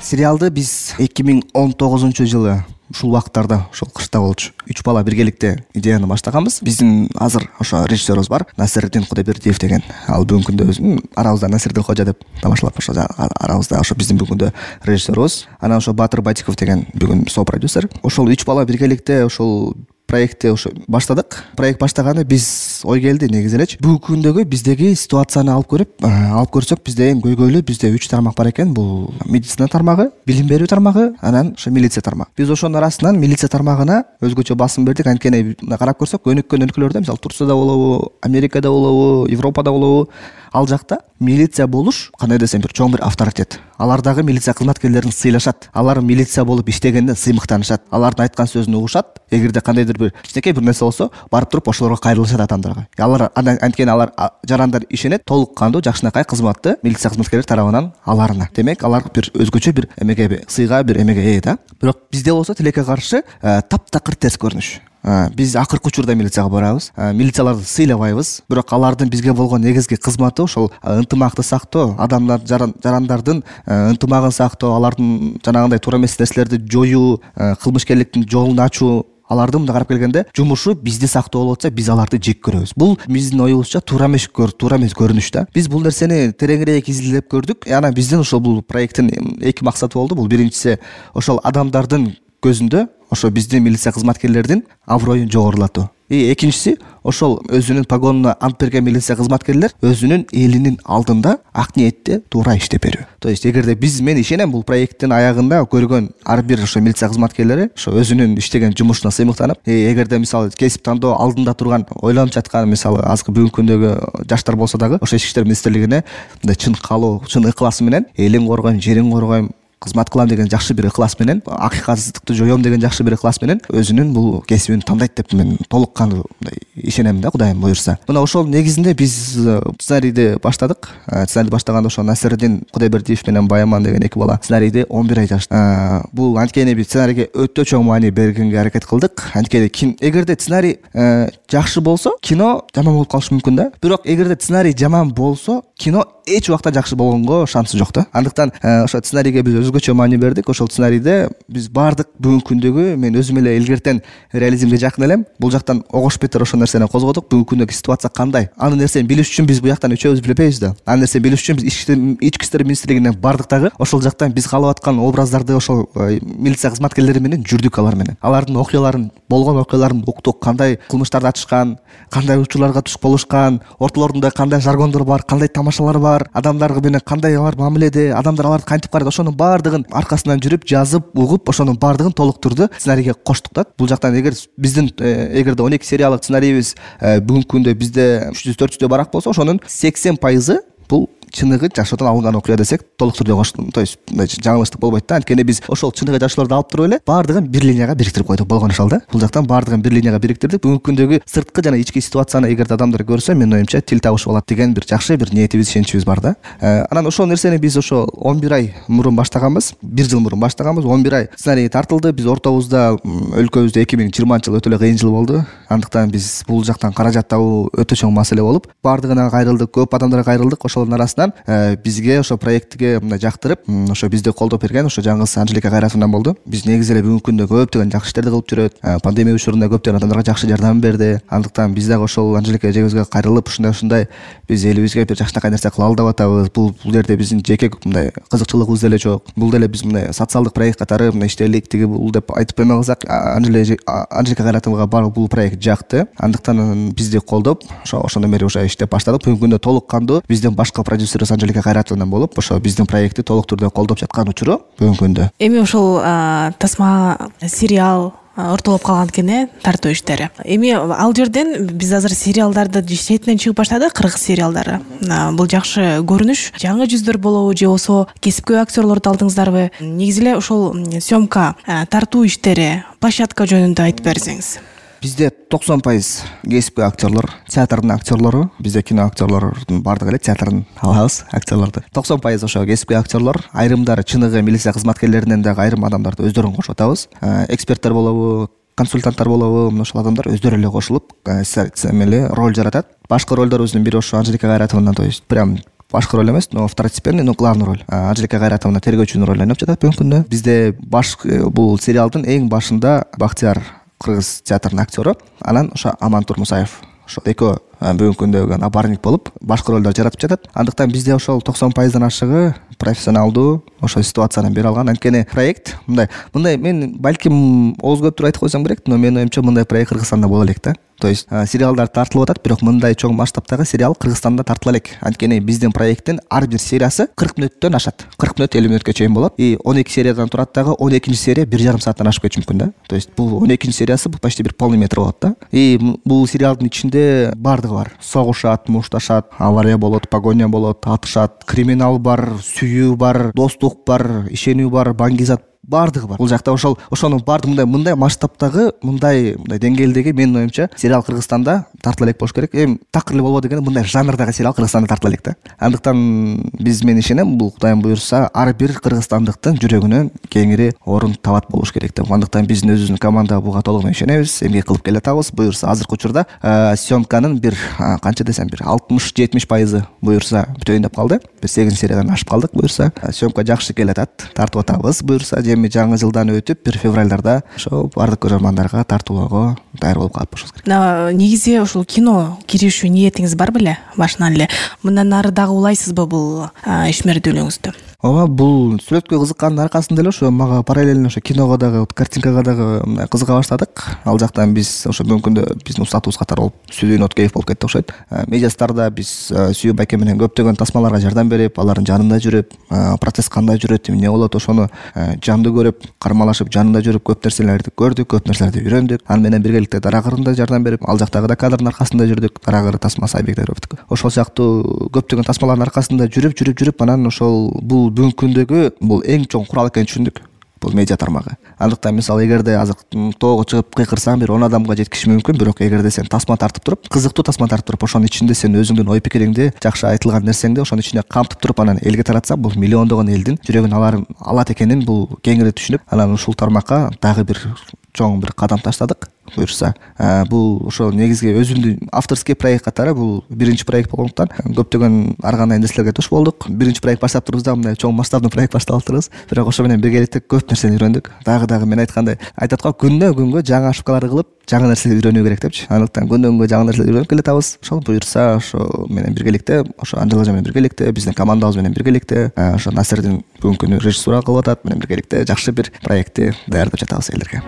Сериалды биз 2019-жылы ушул убакыттарда ошол кышта болчу 3 бала биргеликте идеяны баштаганбыз. Биздин азыр ошо режиссерибиз бар, Насирдин Кудайбердиев деген. Ал бүгүнкү күндө арабызда Насирдин Кожа деп тамашалап ошо арабызда ошо биздин бүгүнкү күндө режиссерибиз. Анан ошо Батыр Батиков деген бүгүн сопродюсер. Ошол 3 бала биргеликте ошол проектти ошо баштадык. Проект баштаганда биз ой келди негизи элечи. Бүгүнкү күндөгү биздеги ситуацияны алып көрсөк, бизде эң көйгөйлүү бизде 3 тармак бар экен. Бул медицина тармагы, билим берүү тармагы, анан ошо милиция тармагы. Биз ошонун арасынан милиция тармагына өзгөчө басым бердик. Анткени карап көрсөк, өнүккөн өлкөлөрдө, мисалы Турцияда болобу, Америкада болобу, Европада болобу, ал жакта милиция болуш кандай десем бир чоң бир авторитет. Алар дагы милиция кызматкерлерин сыйлашат. Алар милиция болуп иштегенде сыймыктанышат. Алардын айткан сөзүн угушат. Эгерде кандайдыр бир кичинекей бир нерсе болсо, барып туруп ошолорго кайрылышат адамдарга. Алар анткени алар жарандар ишенет толук кандуу жакшынакай кызматты милиция кызматкерлери тарабынан аларына. Демек, алар бир өзгөчө бир эмеге сыйга бир эмеге ээ да. Бирок бизде болсо тилекке каршы таптакыр терс көрүнүш. Биз акыркы учурда милицияга барабыз. Милицияларды сыйлабайбыз. Бирок алардын бизге болгон негизги кызматы ошол ынтымакты сактоо, адамдар жарандардын ынтымагын сактоо, алардын жанагындай туура эмес нерселерди жоюу, кылмышкерликтин жолун ачуу. Алардын мындай карап келгенде жумушу бизди сактоо болуп атса, биз аларды жек көрөбүз. Бул биздин оюбузча туура эмес көрүнүш да. Биз бул нерсени тереңирээк изилдеп көрдүк. Анан биздин ошол бул проекттин эки максаты болду. Бул биринчиси ошол адамдардын көзүндө ошо биздин милиция кызматкерлердин аброюн жогорулатуу. Экинчиси ошол өзүнүн погонуна ант берген милиция кызматкерлер өзүнүн элинин алдында ак ниетте туура иштеп берүү. То есть эгерде мен ишенем, бул проекттин аягында көргөн ар бир ошо милиция кызматкерлери ошо өзүнүн иштеген жумушуна сыймыктанып, эгерде мисалы кесип тандоо алдында турган, ойлонуп жаткан, мисалы азыркы бүгүнкү күндөгү жаштар болсо дагы ошо Ички иштер министрлигине мындай чын каалоо, чын ыкласы менен элин коргойм, жерин коргойм, кызмат кылам деген жакшы бир ыклас менен, акыйкатсыздыкты жоём деген жакшы бир ыклас менен өзүнүн бул кесибин тандайт деп мен толук кандуу ишенем да, Кудайым буйрса. Мына ошол негизинде биз сценарийди баштадык. Сценарийди баштаганда ошо Насирдин Кудайбердиев менен Баяман деген эки бала сценарийди 11 ай жазды. Бул анткени биз сценарийге өтө чоң маани бергенге аракет кылдык. Анткени эгерде сценарий жакшы болсо, кино жаман болуп калышы мүмкүн да. Бирок эгерде сценарий жаман болсо, кино эч убакта жакшы болгонго шансы жок да. Андыктан ошо сценарийге биз өзгөчө маани бердик. Ошол сценарийде биз баардык бүгүнкү күндөгү, мен өзүм эле илгертен реализмге жакын элем. Бул жактан огош бетер ошол нерсени козгодук. Бүгүнкү күндөгү ситуация кандай? Аны нерсени билиш үчүн биз буяктан үчөөбүз билбейбиз да. Аны нерсени билиш үчүн биз Ички иштер министрлигине бардык дагы. Ошол жактан биз каалап аткан образдарды ошол милиция кызматкерлери менен жүрдүк алар менен. Алардын окуяларын, болгон окуяларын уктук, кандай кылмыштарды ачышкан, кандай учурларга туш болушкан, ортолорунда кандай жаргондор бар, кандай тамашалар бар, адамдар менен кандай алар мамиледе, адамдар аларды кантип карайт, ошонун баардыгын аркасынан жүрүп, жазып, угуп, ошонун баардыгын толуктурду сценарийге коштук да. Бул жактан эгерде 12 сериалдык сценарийибиз бүгүнкү күндө бизде 300-400 барак болсо, ошонун 80% бул чыныгы жашоодон алынган окуя десек толук түрдө коштук. То есть жаңылыштык болбойт да. Анткени биз ошол чыныгы жашоолорду алып туруп эле баардыгын бир линияга бириктирип койдук болгон ошол да. Бул жактан баардыгын бир линияга бириктирдик. Бүгүнкү күндөгү сырткы жана ички ситуацияны эгерде адамдар көрсө, менин оюмча тил табышып алат деген бир жакшы бир ниетибиз, ишеничибиз бар да. Анан ошол нерсени биз ошо 11 ай мурун баштаганбыз. 1 жыл мурун баштаганбыз. 11 ай сценарий тартылды. Биз ортобузда өлкөбүздө 2020 жыл өтө эле кыйын жыл болду. Андыктан биз бул жактан каражат табуу өтө чоң маселе болуп, баардыгына кайрылдык, көп адамдарга кайрылдык. Ошолордун арасынан бизге ошо проектиге мындай жактырып, ошо бизди колдоп берген ошо жаңгыз Анжелика Кайратовнадан болду. Биз негизи эле бүгүнкү күндө көптөгөн жакшы иштерди кылып жүрөт. Пандемия учурунда көптөгөн адамдарга жакшы жардам берди. Андыктан биз дагы ошол Анжелика эжебизге кайрылып, ушундай биз элибизге бир жакшынакай нерсе кыла алды деп атабыз. Бул жерде биздин жеке мындай кызыкчылыгыбыз деле жок. Бул деле биз мындай социалдык проект катары мындай иштелик тиги бул деп айтып эме кылсак, Анжелика Кайратовнага бул проект жакты. Андыктан бизди колдоп, ошондон бери уже иштеп баштадык. Бүгүнкү күндө толук кандуу биздин башкы продюсерибиз Анжелика Кайратовнадан болуп, ошо биздин проектти толук түрдө колдоп жаткан учуру бүгүнкү күндө. Эми ошол тасма сериал ортолоп калган экен, тартуу иштери. Эми ал жерден биз азыр сериалдарды четинен чыгып баштадык, кыргыз сериалдары. Бул жакшы көрүнүш. Жаңы жүздөр болобу же болсо кесипкөй актерлорду алдыңыздарбы? Негизи эле ошол съемка, тартуу иштери, площадка жөнүндө айтып берсеңиз. Бизде 90% кесипкөй актерлор, театрдын актерлору, бизде кино актерлордун баардыгы эле театрдын алабыз актерлорду. 90% ошо кесипкөй актерлор, айрымдары чыныгы милиция кызматкерлеринен дагы айрым адамдарды өздөрүн кошуп атабыз. Эксперттер болобу, консультанттар болобу, мына ошол адамдар өздөрү эле кошулуп, роль жаратат. Башкы ролдорубуздун бири ошо Анжелика Кайратовна, то есть прям башкы роль эмес, но второстепенный, но главный роль. Анжелика Кайратовна тергөөчүнүн ролун ойноп жатат бүгүнкү күндө. Бизде бул сериалдын эң башында Бактияр кыргыз театрынын актёру, анан ошо Амантур Мусаев ошол экөө бүгүнкү күндө напарник болуп башкы ролдор жаратып жатат. Андыктан бизде ошол 90% ашыгы профессионалдуу ошол ситуацияны бере алган. Анткени проект мындай мен балким ооз көптүр айтып койсом керек, но менин оюмча мындай проект Кыргызстанда боло элек да. То есть сериалдар тартылып атат, бирок мындай чоң масштабтагы сериал Кыргызстанда тартыла элек. Анткени биздин проекттин ар бир сериясы 40 мүнөттөн ашат. 40 мүнөт 50 мүнөткө чейин болот. И 12 сериядан турат дагы, 12 серия 1,5 сааттан ашып кетиши мүмкүн да. То есть бул 12 сериясы бул почти бир полный метр болот да. И бул сериалдын ичинде баардыгы бар. Согушат, мушташат, авария болот, погоня болот, атышат, криминал бар, сүйүү бар, достук бар, ишенүү бар, баңгизат, баардыгы бар. Бул жакта ошонун баардыгы мындай масштабтагы, мындай деңгээлдеги менин оюмча сериал Кыргызстанда тартыла элек болуш керек. Такыр эле болбойт экен, мындай жанрдагы сериал Кыргызстанда тартыла элек да. Андыктан мен ишенем, бул Кудайым буйрса ар бир кыргызстандыктын жүрөгүнөн кеңири орун табат болуш керек деп. Андыктан биздин өзүбүздүн команда буга толук менен ишенебиз, эмгек кылып келатабыз. Буйрса азыркы учурда съемканын бир канча десем бир 60-70% буйрса бүтөйүн деп калды. Бир 8 сериядан ашып калдык буйрса. Съемка жакшы келатат, тартып атабыз буйрса. Жаңы жылдан өтүп 1 февралдарда ошо бардык көрөрмандарга тартуулоого даяр болуп калып болушубуз керек. Негизи ушул кино киришүү ниетиңиз бар беле башынан эле? Мындан ары дагы улайсызбы бул ишмердүүлүгүңүздү? Ооба, бул сүрөткө кызыккандын аркасында эле ошо мага параллельно ошо киного дагы, картинкага дагы кызыка баштадык. Ал жактан биз ошо бүгүнкү күндө биздин устатыбыз катары болуп, Сүдүүн Откеев болуп кетти окшойт. Медиастарда биз Сүйүү байке менен көптөгөн тасмаларга жардам берип, алардын жанында жүрүп, процесс кандай жүрөт, эмне болот, ошону жандуу көрүп, кармалашып, жанында жүрүп көп нерселерди көрдүк, көп нерселерди үйрөндүк. Аны менен биргеликте Дарагырында жардам берип, ал жактагы да кадрдын аркасында жүрдүк. Дарагыр тасмасы Айбек Даровдук. Ошол сыяктуу көптөгөн тасмалардын аркасында жүрүп, анан ошол бул бүгүнкү күндөгү бул эң чоң курал экенин түшүндүк. Бул медиа тармагы. Андыктан мисалы эгерде азыр тоого чыгып кыйкырсаң бир 10 адамга жеткиши мүмкүн, бирок эгерде сен тасма тартып туруп, кызыктуу тасма тартып туруп, ошонун ичинде сен өзүңдүн ой пикириңди, жакшы айтылган нерсеңди ошонун ичине камтып туруп, анан элге таратсаң, бул миллиондогон элдин жүрөгүн алат экенин бул кеңири түшүнүп, анан ушул тармакка дагы бир чоң бир кадам таштадык. Буюрса, бул ошо негизги өзүмдүн авторский проект катары бул биринчи проект болгондуктан көптөгөн ар кандай нерселерге туш болдук. Биринчи проект баштап турбуз да, мындай чоң масштабный проект баштап турбуз. Бирок ошо менен биргеликте көп нерсени үйрөндүк. Дагы мен айткандай, айтат го, күндөн күнгө жаңы ошибкаларды кылып, жаңы нерсе үйрөнүү керек депчи. Андыктан күндөн күнгө жаңы нерсе үйрөнүп келатабыз. Ошол буюрса, ошо менен биргеликте, ошо Анжела менен биргеликте, биздин командабыз менен биргеликте, ошо Насирдин бүгүнкү күнү режиссура кылып атат, менен биргеликте жакшы бир проектти даярдап жатабыз элдерге.